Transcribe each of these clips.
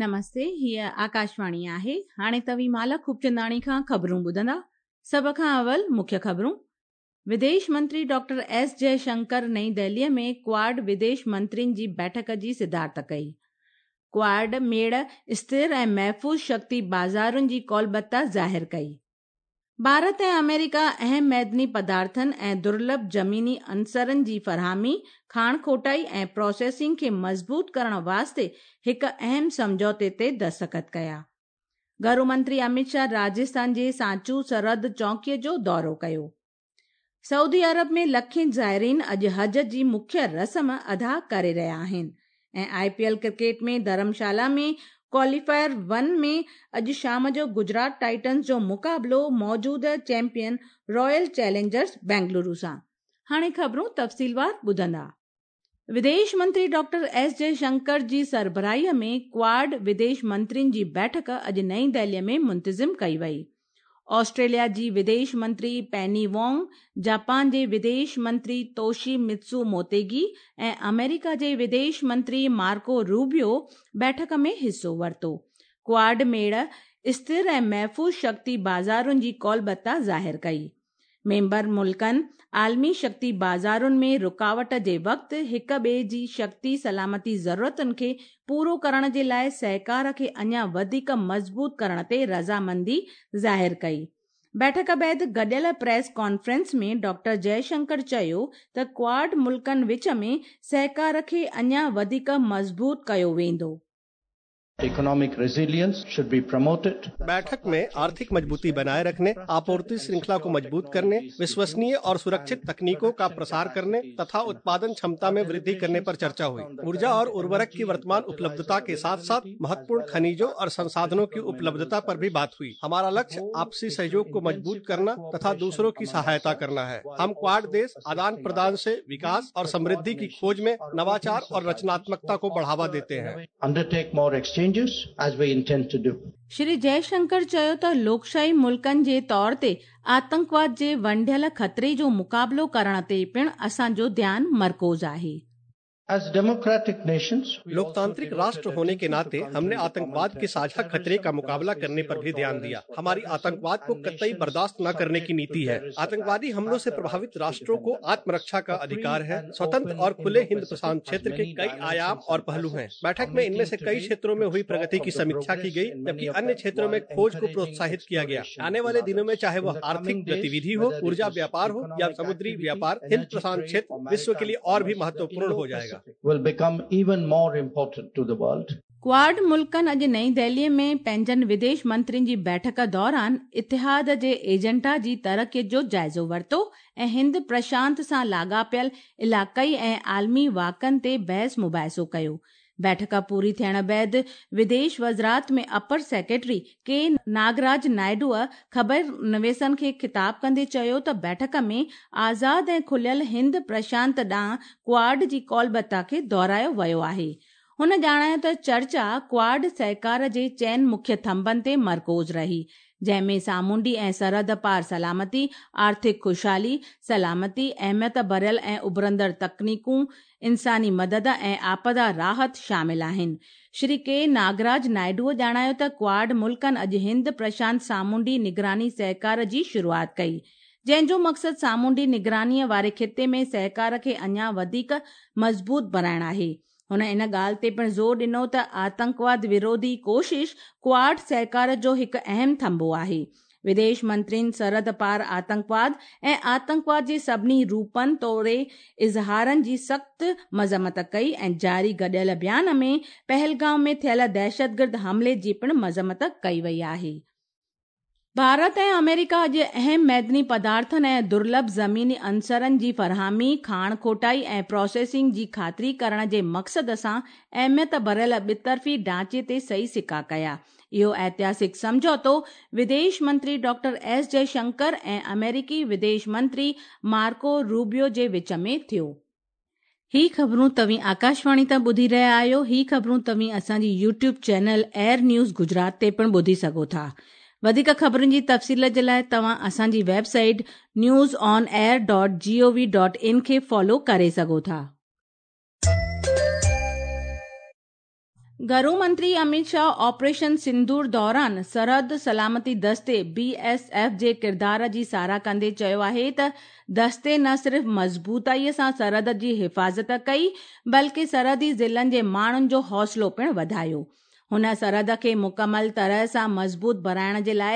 نمستي، هيء آڪاشواڻي آهي. هاڻي توهين مالا خوبچنداڻي کان خبرون ٻڌندا. سڀ کان اول مکيه خبرون. وديش منتري ڊاڪٽر ايس جئه شنڪر نئين دهليء ۾ ڪواڊ وديش منترين جي بيٺڪ جي صدارت ڪئي. ڪواڊ ميڙ اسٿر ۽ محفوظ شڪتي بازارن جي قولبتا ظاهر ڪئي. ڀارت ۽ آمريڪا اهم معدني پدارٿن ۽ درلڀ زميني عنصرن جي فراهمي، کاڻ کوٽائي ۽ پراسيسنگ کي مضبوط ڪرڻ واسطي هڪ اهم سمجهوتي تي دستخط ڪيا. گهرو منتري اميت شاهه راجسٿان جي سانچو سرحد چونڪي جو دورو ڪيو. سعودي عرب ۾ لکين زائرين اڄ حج جي مکيه رسم ادا ڪري رهيا آهن ۽ I P L cricket ۾ Dharamshala ۾ qualifier one ۾ اڄ شام جو گجرات ٽائٽنز جو مقابلو موجوده چيمپيئن رائل چئلينجرز بينگلورو سان. هاڻي خبرون تفصيلوار ٻڌندا. وديش منتري ڊاڪٽر ايس جئه شنڪر جي سربراهي ۾ ڪواڊ وديش منترين جي بيٺڪ اڄ نئين دهلي ۾ منتظم ڪئي وئي. آسٽريليا جي وديش منتري پيني وانگ، جاپان جي وديش منتري توشي متسو موتيگي ۽ آمريڪا جي وديش منتري مارڪو روبيو بيٺڪ ۾ حصو ورتو. ڪواڊ ميڙ اسٿر ۽ محفوظ شڪتي بازارن جي قولبتا ظاهر ڪئي. ميمبر ملڪن عالمي شڪتي بازارن ۾ رڪاوٽ جي وقت هڪ ٻئي جي شڪتي سلامتي ضرورتن کي پورو ڪرڻ جي لاء سهڪار کي اڃا وڌيڪ مضبوط ڪرڻ تي رضامندي ظاهر ڪئي. بيٺڪ بعد گڏيل پريس ڪانفرنس ۾ ڊاڪٽر جئه شنڪر چيو ته ڪواڊ ملڪن وچ ۾ سهڪار کي اڃا وڌيڪ مضبوط ڪيو ويندو. Economic resilience should be promoted. बैठक में आर्थिक मजबूती बनाए रखने, आपूर्ति श्रृंखला को मजबूत करने, विश्वसनीय और सुरक्षित तकनीकों का प्रसार करने तथा उत्पादन क्षमता में वृद्धि करने पर चर्चा हुई। ऊर्जा और उर्वरक की वर्तमान उपलब्धता के साथ साथ महत्वपूर्ण खनिजों और संसाधनों की उपलब्धता पर भी बात हुई। हमारा लक्ष्य आपसी सहयोग को मजबूत करना तथा दूसरों की सहायता करना है। हम क्वाड देश आदान प्रदान से विकास और समृद्धि की खोज में नवाचार और रचनात्मकता को बढ़ावा देते हैं। Undertake more exchanges as we intend to do. Shri Jai Shankar चयो त लोकशाही मुल्कनि जे तौर ते आतंकवाद जे वंढियल ख़तरे जो मुक़ाबिलो करण ते पिणु असांजो ध्यानु मरकूज़ आहे। As democratic nations, we also लोकतांत्रिक राष्ट्र होने के नाते हमने आतंकवाद के साझा खतरे का मुकाबला करने पर भी ध्यान दिया। हमारी आतंकवाद को कतई बर्दाश्त न करने की नीति है। आतंकवादी हमलों से प्रभावित राष्ट्रों को आत्मरक्षा का अधिकार है। स्वतंत्र और खुले हिंद प्रशांत क्षेत्र के कई आयाम और पहलू हैं। बैठक में इनमें से कई क्षेत्रों में हुई प्रगति की समीक्षा की गई, जबकि अन्य क्षेत्रों में खोज को प्रोत्साहित किया गया। आने वाले दिनों में चाहे वह आर्थिक गतिविधि हो, ऊर्जा व्यापार हो या समुद्री व्यापार, हिंद प्रशांत क्षेत्र विश्व के लिए और भी महत्वपूर्ण हो जाएगा। Will become even more important to the world. Quad मुल्कनि अॼु नई दिल्लीअ में पंहिंजनि विदेश मंत्रियुनि जी बैठक दौरान इतिहाद जे एजेंडा जी तरक़ीअ जो जाइज़ो वरितो ऐं हिंद प्रशांत सां लाॻापियल इलाक़ाई ऐं आलमी वाक़नि ते बहस मुबाहिसो कयो। बैठक पूरी थियण बाद विदेश वज़ारत में अपर सेक्रेटरी के नागराज नायडूअ ख़बर नवीसनि खे ख़िताब कंदे चयो त बैठक में आज़ाद ऐं खुलियल हिंद प्रशांत ॾांहुं क्वाड जी कौलबता खे दोहरायो वियो आहे। हुन ॼाणायो त चर्चा क्वाड सहकार जे चइनि मुख्य थंभनि ते मरकूज़ रही, जंहिंमें सामुंडी ऐं सरहद पार सलामती, आर्थिक ख़ुशहाली, सलामती, अहमियत भरियल ऐं उभरंदड़ तकनीकूं, इंसानी मदद ऐं आपदा राहत शामिल आहिनि। श्री के नागराज नायडूअ ॼाणायो त क्वाड मुल्कनि अॼु हिंद प्रशांत सामुंडी निगरानी सहकार जी शुरूआत कई, जंहिंजो मक़सदु सामुंडी निगरानीअ वारे ख़िते में सहकार खे अञा वधीक मज़बूत बणाइणु आहे। हुन इन ॻाल्हि ते पिणु ज़ोर ॾिनो त आतंकवाद विरोधी कोशिश क्वाड सहकार जो हिकु अहम थंभो आहे। विदेश मंत्रियुनि सरहद पार आतंकवाद ऐं आतंकवाद जे सभिनी रूपनि तोड़े इज़हारनि जी सख़्तु मज़म्मत कई ऐं जारी गॾियल बयान में पहलगांव में थियल दहशतगर्द हमले जी पिणु मज़म्मत कई वई आहे। भारत ऐं अमेरिका अॼु अहम मैदनी पदार्थनि ऐं दुर्लभ ज़मीनी अंसरनि जी फराहमी, खाण खोटाई ऐं प्रोसेसिंग जी ख़ातिरी करण जे मक़सद सां अहमियत भरियल ॿितरफ़ी ढांचे ते सही सिक्का कया। इहो ऐतिहासिक सम्झौतो विदेश मंत्री डॉक्टर एस जयशंकर ऐं अमेरिकी विदेश मंत्री मार्को रूबियो जे विच में थियो। ही ख़बरूं तव्हीं आकाशवाणी तां ॿुधी रहिया आहियो। ही ख़बरूं तव्हीं असांजी YouTube channel AIR news Gujarat ते पिणु ॿुधी सघो था। वधीक ख़बरुनि जी तफ़सील जे लाइ तव्हां असांजी वेबसाइट newsonair.gov.in खे फॉलो करे सघो था। گهرو منتري اميت شاهه آپريشن سندور دوران سرحد سلامتي دستي بي ايس ايف جي ڪردار جي ساراهه ڪندي چيو آهي ته دستي نه صرف مضبوطائي سان سرحد جي حفاظت ڪئي بلڪه سرحدي ضلعن جي ماڻهن جو حوصلو پڻ وڌايو. هن سرحد کي مڪمل طرح سان مضبوط بڻائڻ جي لاء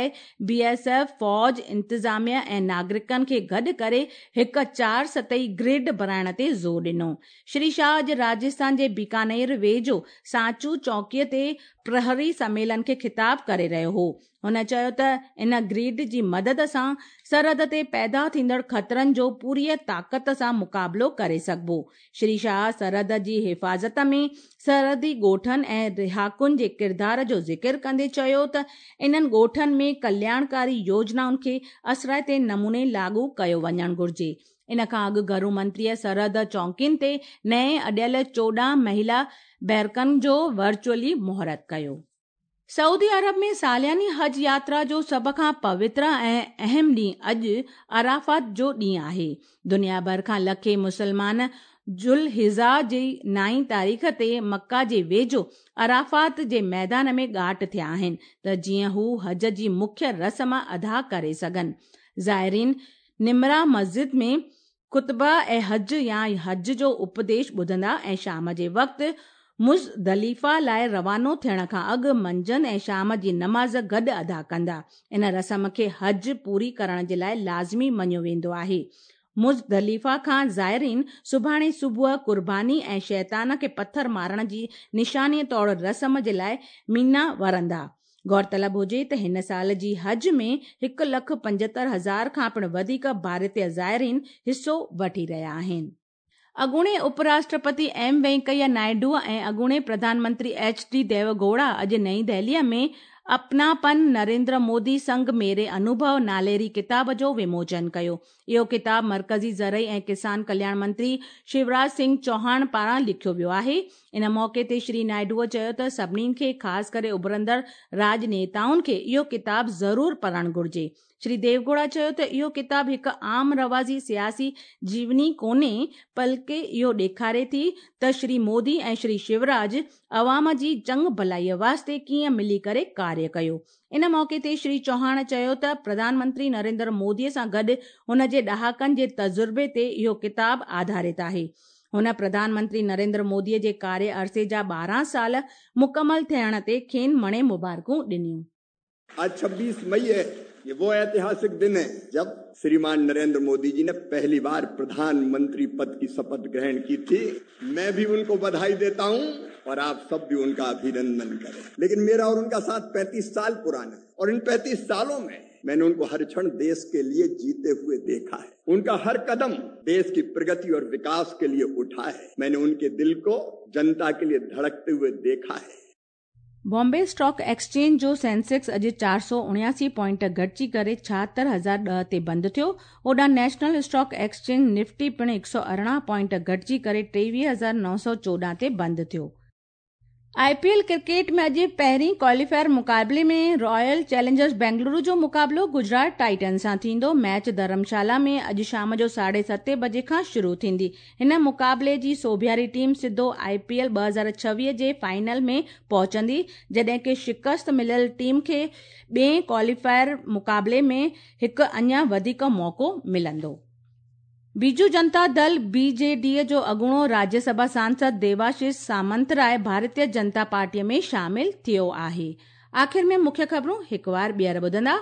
بي ايس ايف، فوج، انتظاميه ۽ ناگرڪن کي گڏ ڪري هڪ چار سطحي گرڊ بڻائڻ تي زور ڏنو. شري شاهه اڄ راجسٿان جي بيڪانير ويجهو سانچو چوڪيء تي پرهري سميلن کي خطاب ڪري رهيو هو. هن چيو ته ان گريڊ جي مدد سان سرحد تي پيدا ٿيندڙ خطرن جو پوريء طاقت سان مقابلو ڪري سگهبو. شري شاهه سرحد جي حفاظت ۾ سرحدي ڳوٺن ۽ رهاڪن جي ڪردار جو ذڪر ڪندي چيو ته انهن ڳوٺن ۾ ڪلياڻڪاري يوجنائن کي اثرائتي نموني لاڳو ڪيو وڃڻ گهرجي. ان کان اڳ گهرو منتريء سرحد چونڪين تي نئين اڏيل 14 مهيلا بيرڪن جو ورچوئلي مهورت ڪيو. سعودي عرب ۾ سالياني حج ياترا جو سڀ کان پوتر ۽ اهم ڏينهن اڄ عرفات جو ڏينهن آهي. دنيا ڀر کان لکين مسلمان ذوالحجه جي نائين تاريخ تي مڪه جي ويجهو عرفات جي ميدان ۾ ڳاٽ ٿيا آهن ته جيئن هو حج جي مکيه رسم ادا ڪري سگهن. زائرين نمره مسجد ۾ خطبه حج يا حج جو اپديش ٻڌندا ۽ شام جي وقت مزدلفه لاء روانو ٿيڻ کان اڳ منجهند ۽ شام جي نماز گڏ ادا ڪندا. ان رسم کي حج پوري ڪرڻ جي لاء لازمي مڃيو ويندو آهي. مزدلفه کان زائرين سڀاڻي صبح قرباني ۽ شيطان کي پٿر مارڻ جي نشاني طور رسم جي لاء مينا ورندا. غور طلب هجي ته هن سال جي حج ۾ هڪ لک 75 هزار کان پڻ وڌيڪ ڀارتي زائرين حصو وٺي رهيا آهن. اڳوڻي اپ راشٽرپتي ايم وينڪيا نائيڊو ۽ اڳوڻي پرڌان منتري ايڇ ڊي ديوه گوڙا اڄ نئين دهليء ۾ اپناپن نريندر مودي سنگ ميري انوڀو ناليري ڪتاب جو وموچن ڪيو. اهو ڪتاب مرڪزي زرعي ۽ ڪسان ڪلياڻ منتري شيوراج سنگهه چوهاڻ پاران لکيو ويو آهي. ان موقعي تي شري نائيڊوء چيو ته سڀني کي خاص ڪري اڀرندڙ راڄنيتائن کي اهو ڪتاب ضرور پڙهڻ گهرجي. شري ديوگوڙا چيو ته اهو ڪتاب هڪ عام رواجي سياسي جيوني ڪونهي بلڪه اهو ڏيکاري ٿي ته شري مودي ۽ شري شيوراج عوام جي چڱ ڀلائي واسطي ڪيئن ملي ڪري ڪاريه ڪيو. ان موقعي تي شري چوهاڻ چيو ته پرڌان منتري نريندر مودي سان گڏ هن جي ڏهاڪن جي تجربي تي اهو ڪتاب آڌارت آهي. هن پرڌان منتري نريندر مودي جي ڪاري عرصي جا 12 سال مڪمل ٿيڻ تي کين مڻي مبارڪون ڏنيون. آج 26 मई है, ये वो ऐतिहासिक दिन है जब श्रीमान नरेंद्र मोदी जी ने पहली बार प्रधानमंत्री पद की शपथ ग्रहण की थी। मैं भी उनको बधाई देता हूं और आप सब भी उनका अभिनंदन करें। लेकिन मेरा और उनका साथ 35 साल पुराना है और इन 35 सालों में मैंने उनको हर क्षण देश के लिए जीते हुए देखा है। उनका हर कदम देश की प्रगति और विकास के लिए उठा है। मैंने उनके दिल को जनता के लिए धड़कते हुए देखा है। बॉम्बे स्टॉक एक्सचेंज जो सेंसेक्स अॼु 479 पॉइंट घटिजी करे 76,010 ते बंदि थियो। होॾां नेशनल स्टॉक एक्सचेंज निफ्टी पिणु 118 पॉइंट घटिजी करे 23,914 ते बंदि थियो। I P L cricket में अॼु पहिरीं क्वालीफायर मुक़ाबले में रॉयल चैलेंजर्स बेंगलुरु जो मुक़ाबलो गुजरात टाइटन सां थींदो। मैच धर्मशाला में अॼु शाम जो 7:30 बजे खां शुरू थींदी। हिन मुक़ाबले जी सोभियारी टीम सिधो I P L 2026 J final में पहुचंदी, जॾहिं की शिकस्त मिलियल टीम खे ॿिए क्वालीफायर मुक़ाबले में हिकु अञा वधीक मौक़ो मिलंदो। बीजू जनता दल बीजेडी जो अॻूणो राज्यसभा सांसद देवाशीष सामंतराय भारतीय जनता पार्टीअ में शामिल थियो आहे। आख़िर में मुख्य ख़बरूं हिकु वार ॿीहर ॿुधंदा।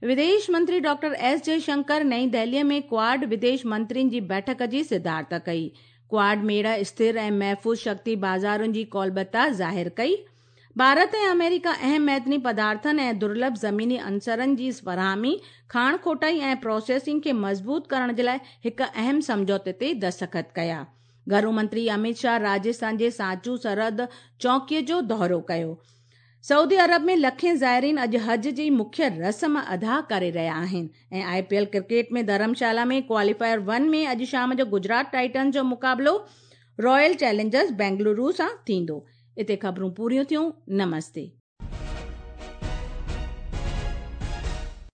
विदेश मंत्री डॉक्टर एस जयशंकर नई दिल्लीअ में क्वाड विदेश मंत्रियुनि जी बैठक जी सिद्धार्थ कई। क्वाड मेड़ स्थिर ऐं महफ़ूज़ शक्ति बाज़ारुनि जी कौलबता ज़ाहिर कई। भारत ऐं अमेरिका अहम मैदनी पदार्थनि ऐं दुर्लभ ज़मीनी अंसरनि जी फराहमी, खाण खोटाई ऐं प्रोसेसिंग खे मज़बूत करण जे लाइ हिकु अहम सम्झौते ते दस्तख़त कया। घरू मंत्री अमित शाह राजस्थान जे सांचू सरहद चौकीअ जो दौरो कयो। सऊदी अरब में लखें ज़ायरीन अॼु हज जी मुख्य रस्म अदा करे रहिया आहिनि। ऐं I P L cricket में धर्मशाला में क्वालीफायर 1 में अॼु शाम जो गुजरात टाइटन्स जो मुक़ाबलो रॉयल चैलेंजर्स बेंगलुरु सां थींदो। इते ख़बरूं पूरियूं थियूं। नमस्ते।